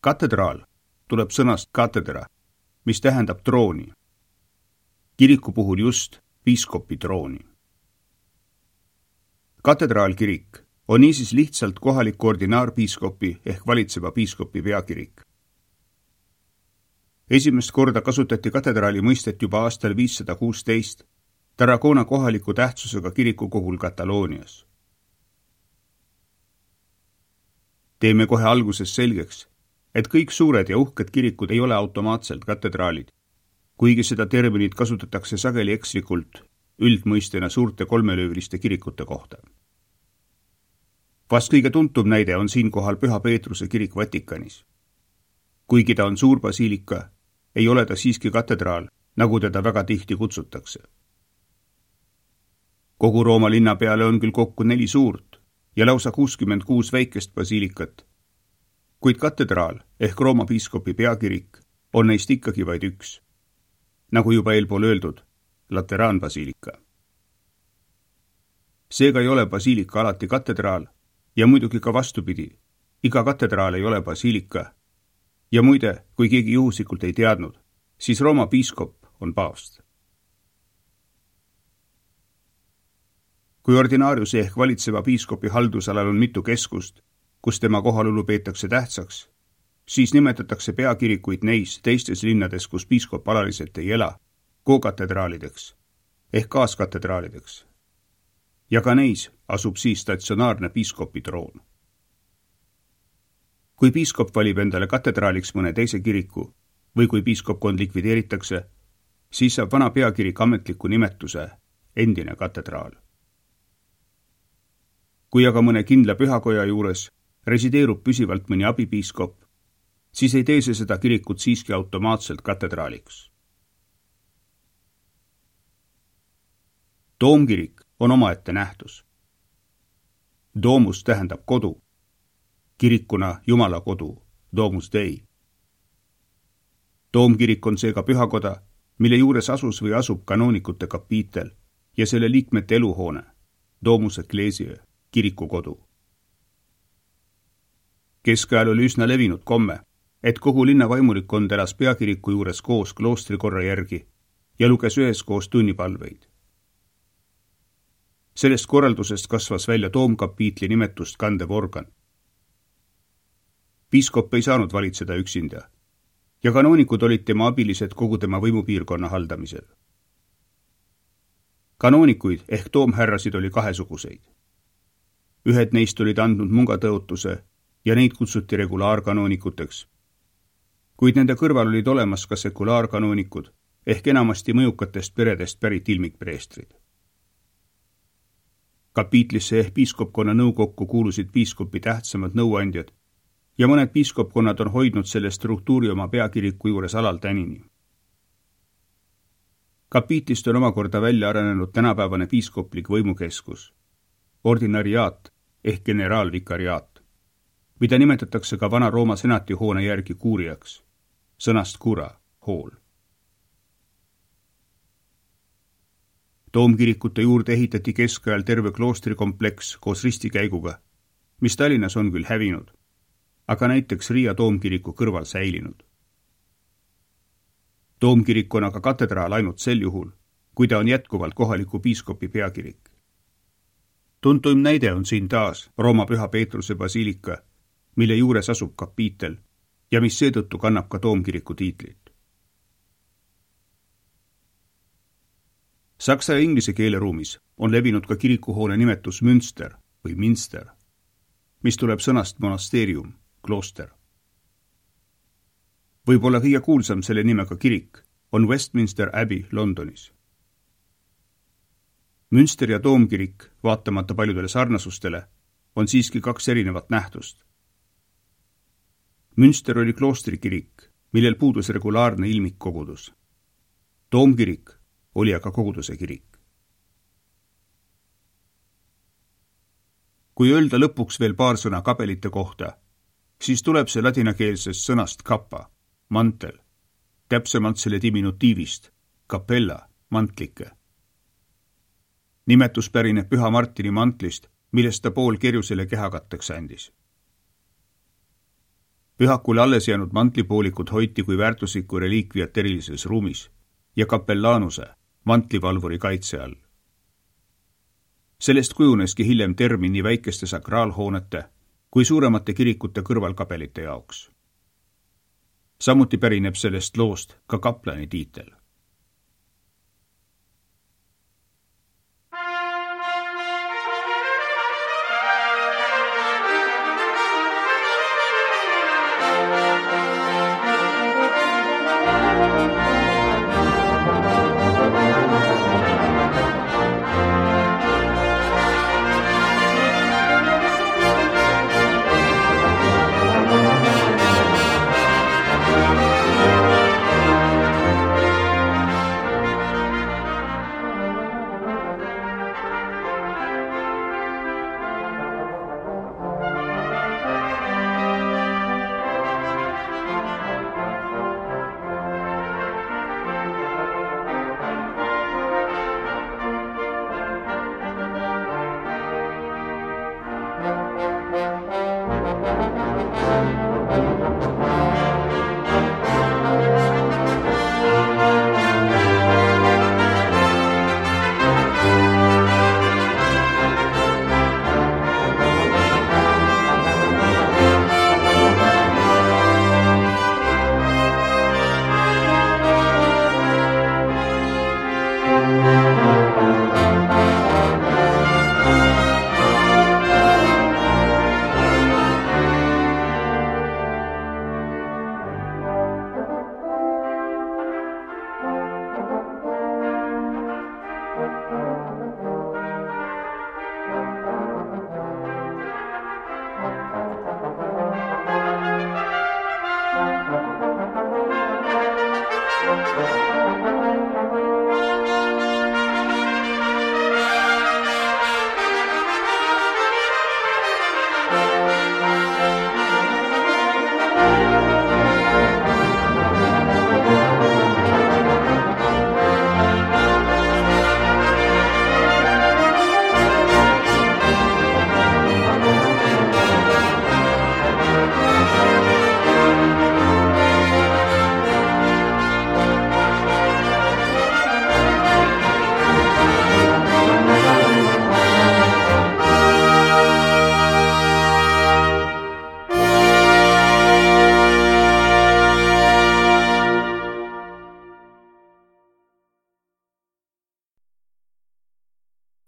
Speaker 2: Katedraal tuleb sõnast katedra, mis tähendab trooni. Kiriku puhul just piiskopi trooni. Katedraalkirik on niisiis lihtsalt kohaliku ordinaarpiiskopi ehk valitseva piiskopi peakirik. Esimest korda kasutati katedraali mõistet juba aastal 516 Tarragona kohaliku tähtsusega kirikukogul Kataloonias. Teeme kohe alguses selgeks, et kõik suured ja uhked kirikud ei ole automaatselt katedraalid, kuigi seda terminit kasutatakse sageli ekslikult üldmõistena suurte kolmelööviliste kirikute kohta. Vast kõige tuntum näide on siinkohal Püha Peetruse kirik Vatikanis. Kuigi ta on suur basiilika, ei ole ta siiski katedraal, nagu teda väga tihti kutsutakse. Kogu Rooma linna peale on küll kokku 4 suurt ja lausa 66 väikest basiilikat, kuid katedraal ehk Rooma piiskopi peakirik on neist ikkagi vaid üks. Nagu juba eelpool öeldud, lateraanbasiilika. Seega ei ole basiilika alati katedraal ja muidugi ka vastupidi, iga katedraal ei ole basiilika. Ja muide, kui keegi juhuslikult ei teadnud, siis Rooma piiskop on paavst. Kui ordinaariuse ehk valitseva piiskopi haldusalal on mitu keskust, kus tema kohalolu peetakse tähtsaks, siis nimetatakse peakirikuid neis teistes linnades, kus piiskop alaliselt ei ela, kokatedraalideks ehk kaaskatedraalideks. Ja ka neis asub siis statsionaarne piiskopi troon. Kui piiskop valib endale katedraaliks mõne teise kiriku või kui piiskopkond likvideeritakse, siis saab vana peakirik ametliku nimetuse endine katedraal. Kui aga mõne kindla pühakoja juures resideerub püsivalt mõni abipiiskop, siis ei tee see seda kirikut siiski automaatselt katedraaliks. Toomkirik on omaette nähtus. Domus tähendab kodu. Kirikuna Jumala kodu, Domus Dei. Toomkirik on seega pühakoda, mille juures asus või asub kanoonikute kapiitel ja selle liikmete eluhoone, Domus Ecclesiae, kirikukodu. Keskajal oli üsna levinud komme, et kogu linna vaimulikkond elas peakiriku juures koos kloostrikorra järgi ja luges üheskoos tunnipalveid. Sellest korraldusest kasvas välja toomkapiitli nimetust kandev organ. Piiskop ei saanud valitseda üksinda ja kanoonikud olid tema abilised kogu tema võimupiirkonna haldamisel. Kanoonikuid ehk toomhärrasid oli kahesuguseid. Ühed neist olid andnud mungatõotuse ja neid kutsuti regulaarkanoonikuteks, kuid nende kõrval olid olemas ka sekulaarkanoonikud ehk enamasti mõjukatest peredest pärit ilmikpreestrid. Kapiitlisse ehk piiskopkonna nõukokku kuulusid piiskopi tähtsamad nõuandjad ja mõned piiskopkonnad on hoidnud selle struktuuri oma peakiriku juures alaltänini. Kapiitlist on omakorda välja arenenud tänapäevane piiskoplik võimukeskus, ordinariaat ehk generaalvikariaat, mida nimetatakse ka vana Rooma senati hoone järgi kuuriaks, sõnast cura, hool. Toomkirikute juurde ehitati keskajal terve kloostrikompleks koos ristikäiguga, mis Tallinnas on küll hävinud, aga näiteks Riia toomkiriku kõrval säilinud. Toomkirik on aga katedraal ainult sel juhul, kui ta on jätkuvalt kohaliku piiskopi peakirik. Tuntuim näide on siin taas Rooma Püha Peetruse basiilika, mille juures asub kapiitel ja mis seetõttu kannab ka toomkiriku tiitlit. Saksa ja inglise keeleruumis on levinud ka kirikuhoone nimetus Münster või Minster, mis tuleb sõnast monasteerium, klooster. Võib-olla kõige kuulsam selle nimega kirik on Westminster Abbey Londonis. Münster ja toomkirik, vaatamata paljudele sarnasustele, on siiski 2 erinevat nähtust. Münster oli kloostrikirik, millel puudus regulaarne ilmikkogudus. Toomkirik oli aga koguduse kirik. Kui öelda lõpuks veel paar sõna kabelite kohta, siis tuleb see ladinakeelsest sõnast kappa, mantel, täpsemalt selle diminutiivist, capella, mantlike. Nimetus pärineb Püha Martini mantlist, millest ta pool kerjusele kehakatteks andis. Pühakule alles jäänud mantlipoolikud hoiti kui väärtuslikku reliikviat erilises ruumis ja kapellaanuse, mantlivalvuri kaitse all. Sellest kujuneski hiljem termin nii väikeste sakraalhoonete kui suuremate kirikute kõrvalkabelite jaoks. Samuti pärineb sellest loost ka kaplani tiitel.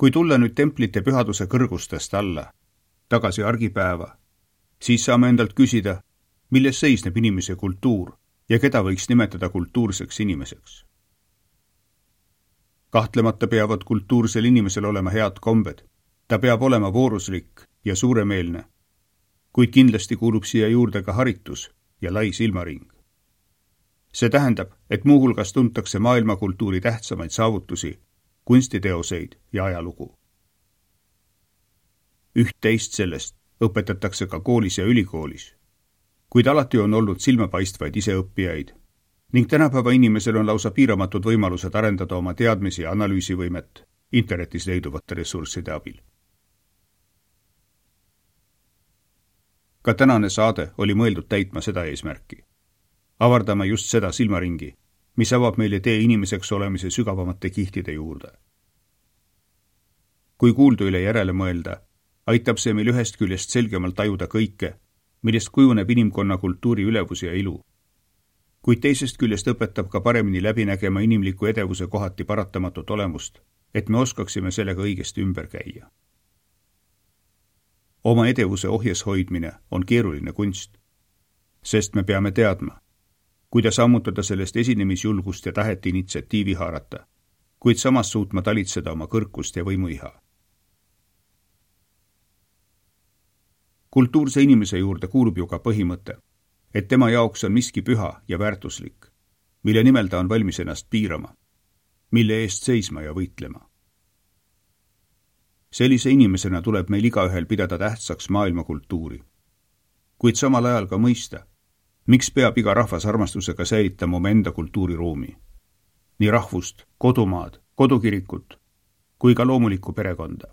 Speaker 2: Kui tulla nüüd templite pühaduse kõrgustest alla, tagasi argipäeva, siis saame endalt küsida, milles seisneb inimese kultuur ja keda võiks nimetada kultuurseks inimeseks. Kahtlemata peavad kultuursel inimesel olema head kombed, ta peab olema vooruslik ja suuremeelne, kuid kindlasti kuulub siia juurde ka haritus ja lai silmaring. See tähendab, et muuhulgas tuntakse maailmakultuuri tähtsamaid saavutusi, kunstiteoseid ja ajalugu. Üht-teist sellest õpetatakse ka koolis ja ülikoolis, kuid alati on olnud silmapaistvaid iseõppijaid ning tänapäeva inimesel on lausa piiramatud võimalused arendada oma teadmisi ja analüüsivõimet internetis leiduvate ressursside abil. Ka tänane saade oli mõeldud täitma seda eesmärki. Avardame just seda silmaringi, mis avab meile tee inimeseks olemise sügavamate kihtide juurde. Kui kuuldu üle järele mõelda, aitab see meil ühest küljest selgemalt tajuda kõike, millest kujuneb inimkonna kultuuri ülevus ja ilu. Kuid teisest küljest õpetab ka paremini läbi nägema inimliku edevuse kohati paratamatut olemust, et me oskaksime sellega õigesti ümber käia. Oma edevuse ohjes hoidmine on keeruline kunst, sest me peame teadma, kuidas ammutada sellest esinemisjulgust ja tahet initsiatiivi haarata, kuid samas suutma talitseda oma kõrkust ja võimuiha. Kultuurse inimese juurde kuulub ju ka põhimõte, et tema jaoks on miski püha ja väärtuslik, mille nimel ta on valmis ennast piirama. mille eest seisma ja võitlema. Sellise inimesena tuleb meil igaühel pidada tähtsaks maailmakultuuri, kuid samal ajal ka mõista, miks peab iga rahvas armastusega säilitama oma enda kultuuriruumi, nii rahvust, kodumaad, kodukirikut kui ka loomulikku perekonda.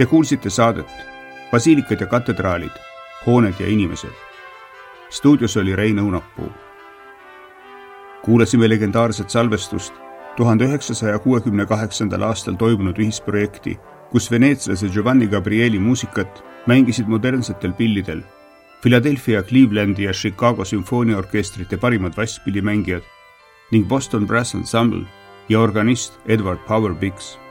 Speaker 2: Te kuulsite saadet Basiilikad ja katedraalid, hooned ja inimesed. Stuudios oli Rein Õunapuu. Kuulasime legendaarset salvestust 1968. aastal toimunud ühisprojekti, kus veneetslase Giovanni Gabrieli muusikat mängisid modernsetel pillidel Philadelphia, Clevelandi ja Chicago sümfooniaorkestrite parimad vasspillimängijad ning Boston Brass Ensemble ja organist Edward Power Biggs.